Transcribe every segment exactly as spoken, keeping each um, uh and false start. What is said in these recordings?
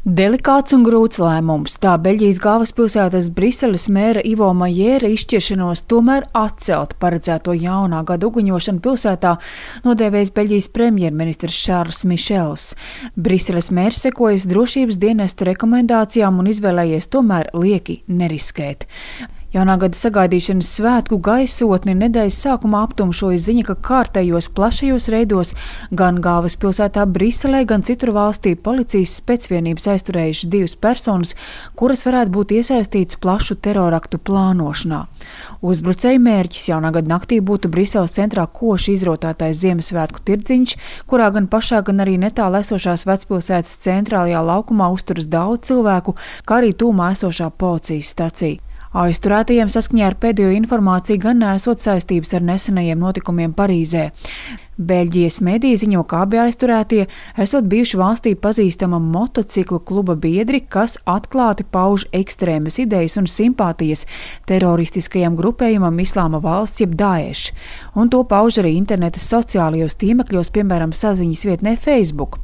Delikāts un grūts lēmums. Tā Beļģijas galvaspilsētas Briseles mēra Ivo Majēra izšķiršanos tomēr atcelt paredzēto jaunā gada uguņošanu pilsētā nodēvējis Beļģijas premjerministrs Šārls Mišels. Briseles mērs sekojas drošības dienesta rekomendācijām un izvēlējies tomēr lieki neriskēt. Jaunā gada sagaidīšanas svētku gaisotni nedēļas sākumā aptumšoja ziņa, ka kārtējos plašajos reidos gan galvaspilsētā Briselē, gan citur valstī policijas specvienības aizturējušas divas personas, kuras varētu būt iesaistītas plašu teroraktu plānošanā. Uzbrucēju mērķis jaunā gada naktī būtu Briseles centrā koši izrotātais Ziemassvētku tirdziņš, kurā gan pašā, gan arī netālu esošās vecpilsētas centrālajā laukumā uzturas daudz cilvēku, kā arī tūmā esošā policijas stacija. Aizturētajiem saskaņā ar pēdējo informāciju gan nesot saistības ar nesenajiem notikumiem Parīzē. Beļģijas mediji ziņo, ka abi aizturētie esot bijuši valstī pazīstama motociklu kluba biedri, kas atklāti pauž ekstrēmas idejas un simpātijas teroristiskajam grupējumam Islāma valsts jeb Daesh, un to pauž arī interneta sociālajos tīmekļos, piemēram, saziņas vietnē Facebook.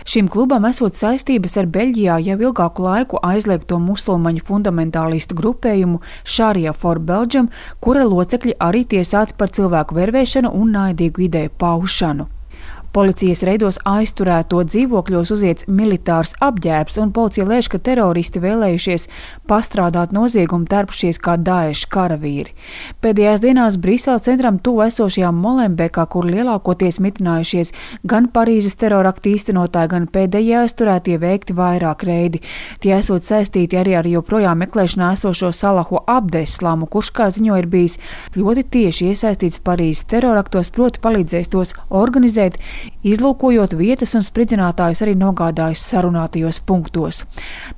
Šim klubam esot saistības ar Beļģijā jau ilgāku laiku aizliegto musulmaņu fundamentālistu grupējumu Sharia for Belgium, kura locekļi arī tiesāti par cilvēku vervēšanu un naidīgu ideju paušanu. Policijas reidos aizturēto dzīvokļos uziets militārs apģērbs, un policija lēš, ka teroristi vēlējušies pastrādāt noziegumu tērpušies kā Daesh karavīri. Pēdējās dienās Briseles centram tuvu esošajā Molenbeekā, kur lielākoties mitinājušies gan Parīzes teroraktu īstenotāji, gan pēdējie aizturētie veikti vairāk reidi. Tie esot saistīti arī ar joprojām meklēšanā esošo Salahu Abdeslāmu, kurš, kā ziņo, ir bijis ļoti tieši iesaistīts Parīzes teroraktos, proti palīdzējis tos organizēt, izlūkojot vietas un spridzinātājus arī nogādājis sarunātajos punktos.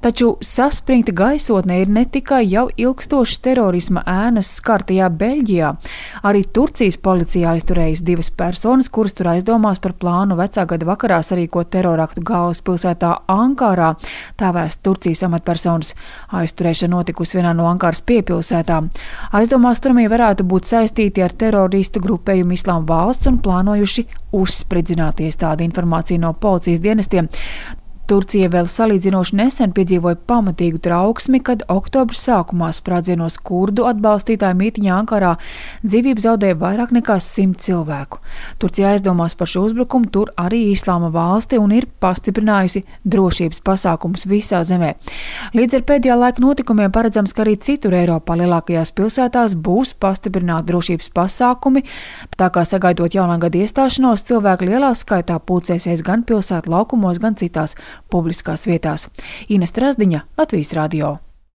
Taču saspringta gaisotne ir ne tikai jau ilgstošas terorisma ēnas skartajā Beļģijā. Arī Turcijas policija aizturējusi divas personas, kuras tur aizdomās par plānu vecā gada vakarā sarīkot teroraktu galvaspilsētā Ankarā. Tā vēsta Turcijas amatpersonas. Aizturēšana notikusi vienā no Ankaras piepilsētām. Aizdomās turamie varētu būt saistīti ar teroristu grupējumu Islāma valsts un plānojuši uzspridzināties, tāda informācija no policijas dienestiem. Turcija vēl salīdzinoši nesen piedzīvoja pamatīgu trauksmi, kad oktobra sākumā sprādzienos kurdu atbalstītāju mītiņā Ankarā dzīvību zaudēja vairāk nekā simt cilvēku. Turcija aizdomās par šo uzbrukumu tur arī Islāma valsti un ir pastiprinājusi drošības pasākumus visā zemē. Līdz ar pēdējā laika notikumiem paredzams, ka arī citur Eiropā lielākajās pilsētās būs pastiprināti drošības pasākumi, tā kā sagaidot jaunā gada iestāšanos, cilvēki lielā skaitā pulcēsies gan pilsētu laukumos, gan citās publiskās vietās. Ines Trasdiņa, Latvijas radio.